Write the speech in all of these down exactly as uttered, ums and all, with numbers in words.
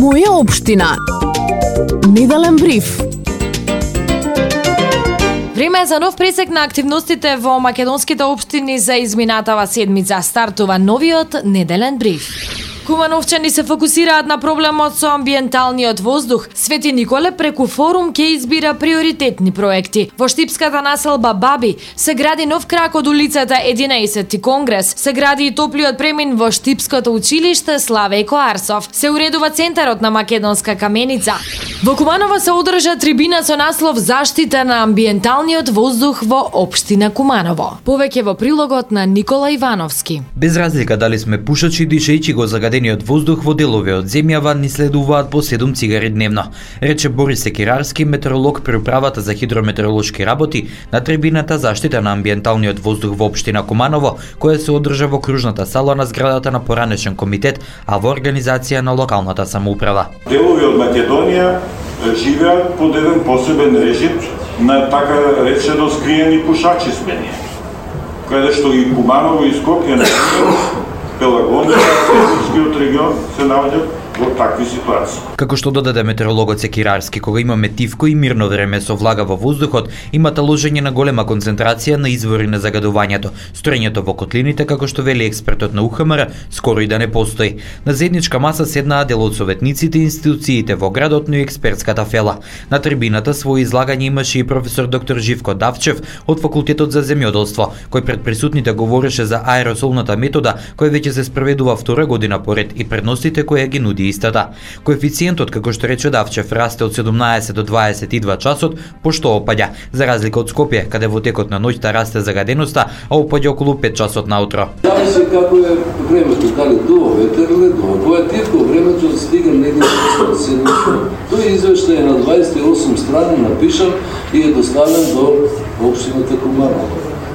Моја општина. Неделен бриф. Време е за нов пресек на активностите во македонските општини за изминатава седмица. Стартува новиот неделен бриф. Кумановчани се фокусираат на проблемот со амбиенталниот воздух. Свети Николе преку форум ќе избира приоритетни проекти. Во штипската населба Баби се гради нов крак од улицата единаесетти Конгрес. Се гради и топлиот премин во штипското училиште Славејко Арсов. Се уредува центарот на македонска каменица. Во Куманово се одржа трибина со наслов Заштита на амбиенталниот воздух во општина Куманово. Повеќе во прилогот на Никола Ивановски. Без разлика дали сме пушачи, дишејќи го загадениот воздух во делови од земјава ни следуваат по седум цигари дневно, рече Борис Секирарски, метеоролог при управата за хидрометеоролошки работи на трибината Заштита на амбиенталниот воздух во општина Куманово, која се одржа во кружната сала на зградата на поранешен комитет, а во организација на локалната самоуправа. Делови од Македонија живеат под еден посебен режим на така речено скриени пушачи сме ние, каде што и Куманово и Скопје на Пелагонија, Северскиот регион се наоѓаат во такви ситуации. Како што додаде метеорологот Секирарски, кога имаме тивко и мирно време со влага во воздухот, има таложење на голема концентрација на извори на загадувањето. Строењето во котлините, како што вели експертот на У Х М Р, скоро и да не постои. На заедничка маса седнаа дел од советниците и институциите во градот, но и експертската фела. На трибината своје излагање имаше и професор доктор Живко Давчев од факултетот за земјоделство, кој пред присутните говореше за аеросолната метода, која веќе се спроведува втора година поред и предностите кои ги нуди истата. Коефициентот, како што рече Давчев, расте од седумнаесет до дваесет и два часот, пошто опаѓа, за разлика од Скопје, каде во текот на ноќта расте загаденоста, а опаѓа околу пет часот наутро. Зависи како е времето, дали дува ветер или дува. Кога е тивко времето стига негде до седмица. Тој извештај е на дваесет и осум страни напишан и е доставен до општината Куманово.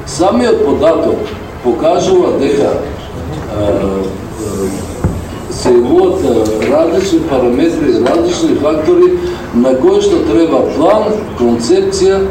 Самиот податок покажува дека се имаат различни параметри, различни фактори на кои што треба план, концепција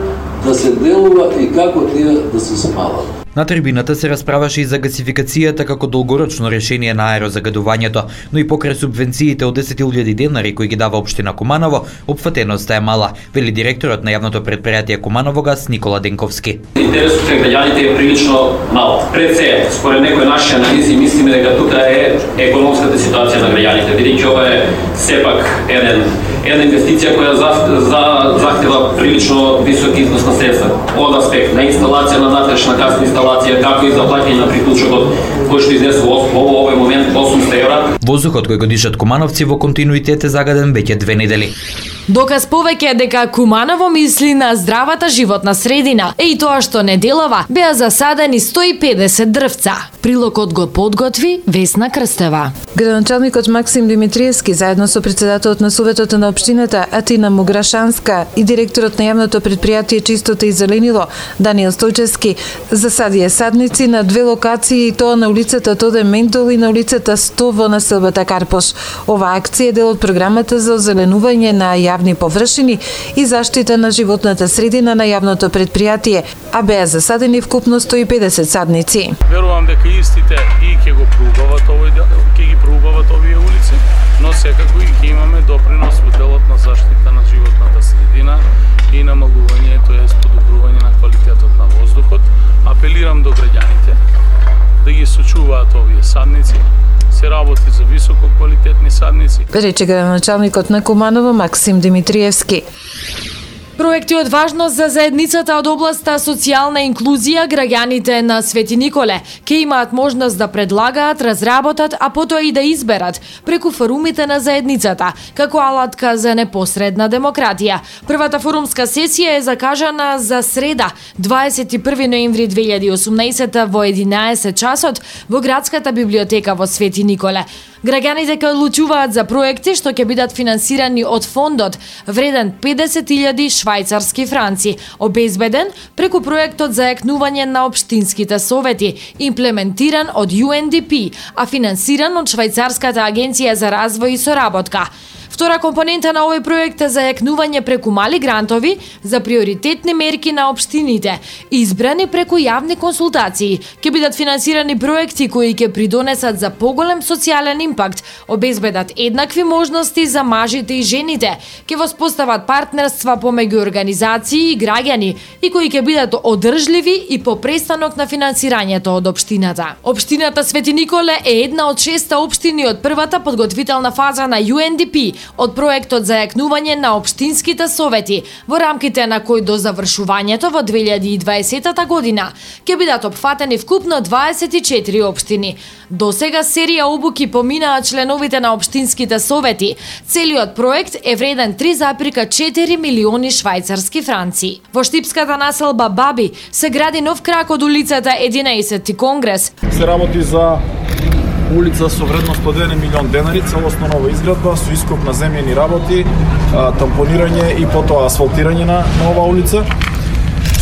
да се делува и како тие да се спалат. На трибината се расправаше и за гасификацијата како долгорочно решение на аерозагадувањето, но и покрај субвенциите од десет илјади денари кои ги дава општина Куманово, опфатеноста е мала, вели директорот на јавното предпријатие Куманово газ Никола Денковски. Интересот на граѓаните е прилично мал. Пред се, според некои наши анализи, мислиме дека тука е економската ситуација на граѓаните, бидејќи ова е сепак еден една инвестиција која за, за, захтева прилично висок износ на средства. Од аспект на инсталација на натрешна газна инсталација, како и за плаќање на приклучокот, кој што изнесува во овој момент осумстотини евра. Воздухот кој го дишат кумановци во континуитет е загаден веќе две недели. Доказ повеќе дека Куманово мисли на здравата животна средина, е и тоа што неделава беа засадени сто и педесет дрвца. Прилогот го подготви Весна Крстева. Градоначалникот Максим Димитриевски заедно со претседателот на Советот на општината Атина Муграшанска и директорот на јавното предпријатие Чистота и зеленило Даниел Стојчевски засадија садници на две локации, и тоа на улицата Тоде Ментол и на улицата сто во населбата Карпош. Оваа акција е дел од програмата за озеленување на јавни површини и заштита на животната средина на јавното предпријатие, а беа засадени вкупно сто и педесет садници. Верувам дека истите и ќе го проубават овој дел, ќе ги проубават овие улици, но секако и ќе имаме допринос во делот на заштита на животната средина и намалување, тоест подобрување на квалитетот на воздухот. Апелирам до граѓаните да ги сочуваат овие садници, се работи за високо квалитетни садници. Рече градоначалникот на Куманово Максим Димитриевски. Проекти од важност за заедницата од областа социјална инклузија, граѓаните на Свети Николе ќе имаат можност да предлагаат, разработат, а потоа и да изберат преку форумите на заедницата, како алатка за непосредна демократија. Првата форумска сесија е закажана за среда, дваесет и први ноември две илјади и осумнаесета во единаесет часот во градската библиотека во Свети Николе. Граѓаните ќе одлучуваат за проекти што ќе бидат финансирани од фондот вреден педесет илјади швајцарски франци, обезбеден преку проектот за јакнување на општинските совети, имплементиран од Ю Ен Ди Пи, а финансиран од Швајцарската агенција за развој и соработка. Втора компонента на овој проект е зајакнување преку мали грантови за приоритетни мерки на општините, избрани преку јавни консултации. Ќе бидат финансирани проекти кои ќе придонесат за поголем социјален импакт, обезбедат еднакви можности за мажите и жените, ќе воспостават партнерства помеѓу организации и граѓани и кои ќе бидат одржливи и по престанок на финансирањето од општината. Општината Свети Николе е една од шест општини од првата подготвителна фаза на Ю Ен Ди Пи од проектот за јакнување на општинските совети, во рамките на кој до завршувањето во две илјади и дваесета година ќе бидат опфатени вкупно дваесет и четири општини. До сега серија обуки поминаа членовите на општинските совети. Целиот проект е вреден три запирка четири милиони швајцарски франци. Во штипската населба Баби се гради нов крак од улицата единаесетти Конгрес. Се работи за улица со вредност од еден милион денари, целосно нова изградба со ископ на земјени работи, тампонирање и потоа асфалтирање на нова улица.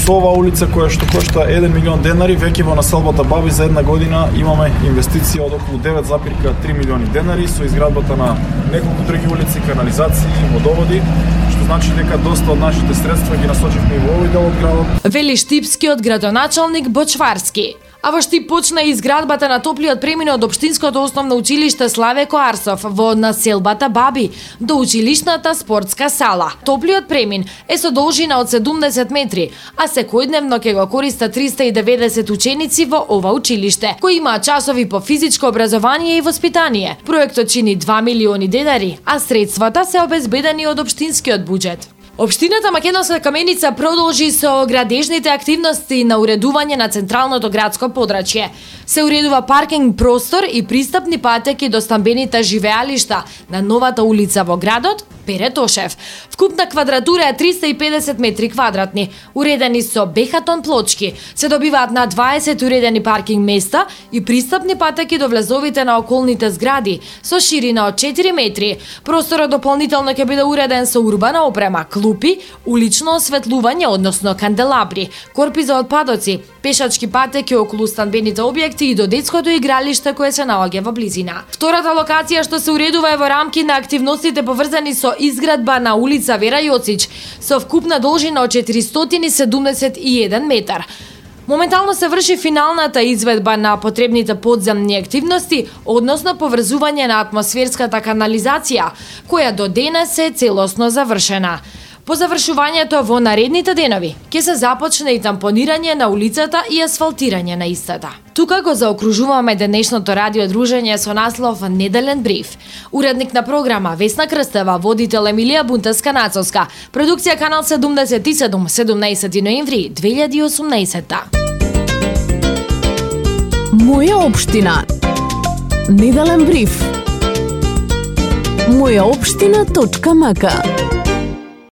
Со ова улица која што кошта еден милион денари, веќе во населбата Баби за една година имаме инвестиција од околу девет запирка три милиони денари со изградбата на неколку други улици, канализации, водоводи, што значи дека доста од нашите средства ги насочивме во овој дел од градот. Вели штипскиот градоначалник Бочварски. А во Штип почна и изградбата на топлиот премин од Општинското основно училиште Славе Коарсов во населбата Баби до училишната спортска сала. Топлиот премин е со должина од седумдесет метри, а секојдневно ќе го користат триста и деветдесет ученици во ова училиште, кои имаат часови по физичко образование и воспитание. Проектот чини два милиони денари, а средствата се обезбедени од општинскиот буџет. Општината Македонска Каменица продолжи со градежните активности на уредување на централното градско подрачје. Се уредува паркинг простор и пристапни патеки до стамбените живеалишта на новата улица во градот Пере Тошев. Вкупна квадратура е триста и педесет метри квадратни, уредени со бехатон плочки. Се добиваат на дваесет уредени паркинг места и пристапни патеки до влезовите на околните згради со ширина од четири метри. Просторот дополнително ќе биде уреден со урбана опрема, клупи, улично осветлување, односно канделабри, корпи за отпадоци, пешачки патеки околу станбените објекти и до детското игралиште кое се наоѓа во близина. Втората локација што се уредува е во рамки на активностите поврзани со изградба на улица Вера Јоцич со вкупна должина од четиристотини седумдесет и еден метар. Моментално се врши финалната изведба на потребните подземни активности, односно поврзување на атмосферската канализација, која до денес е целосно завршена. По завршувањето во наредните денови ќе се започне и тампонирање на улицата и асфалтирање на истата. Тука го заокружуваме денешното радио дружење со наслов Неделен бриф. Уредник на програма Весна Крстева, водител Емилија Бунтеска-Нацовска, продукција Канал седумдесет и седум, седумнаесети ноември две илјади и осумнаесета. Моја општина. Неделен бриф. моја општина точка м к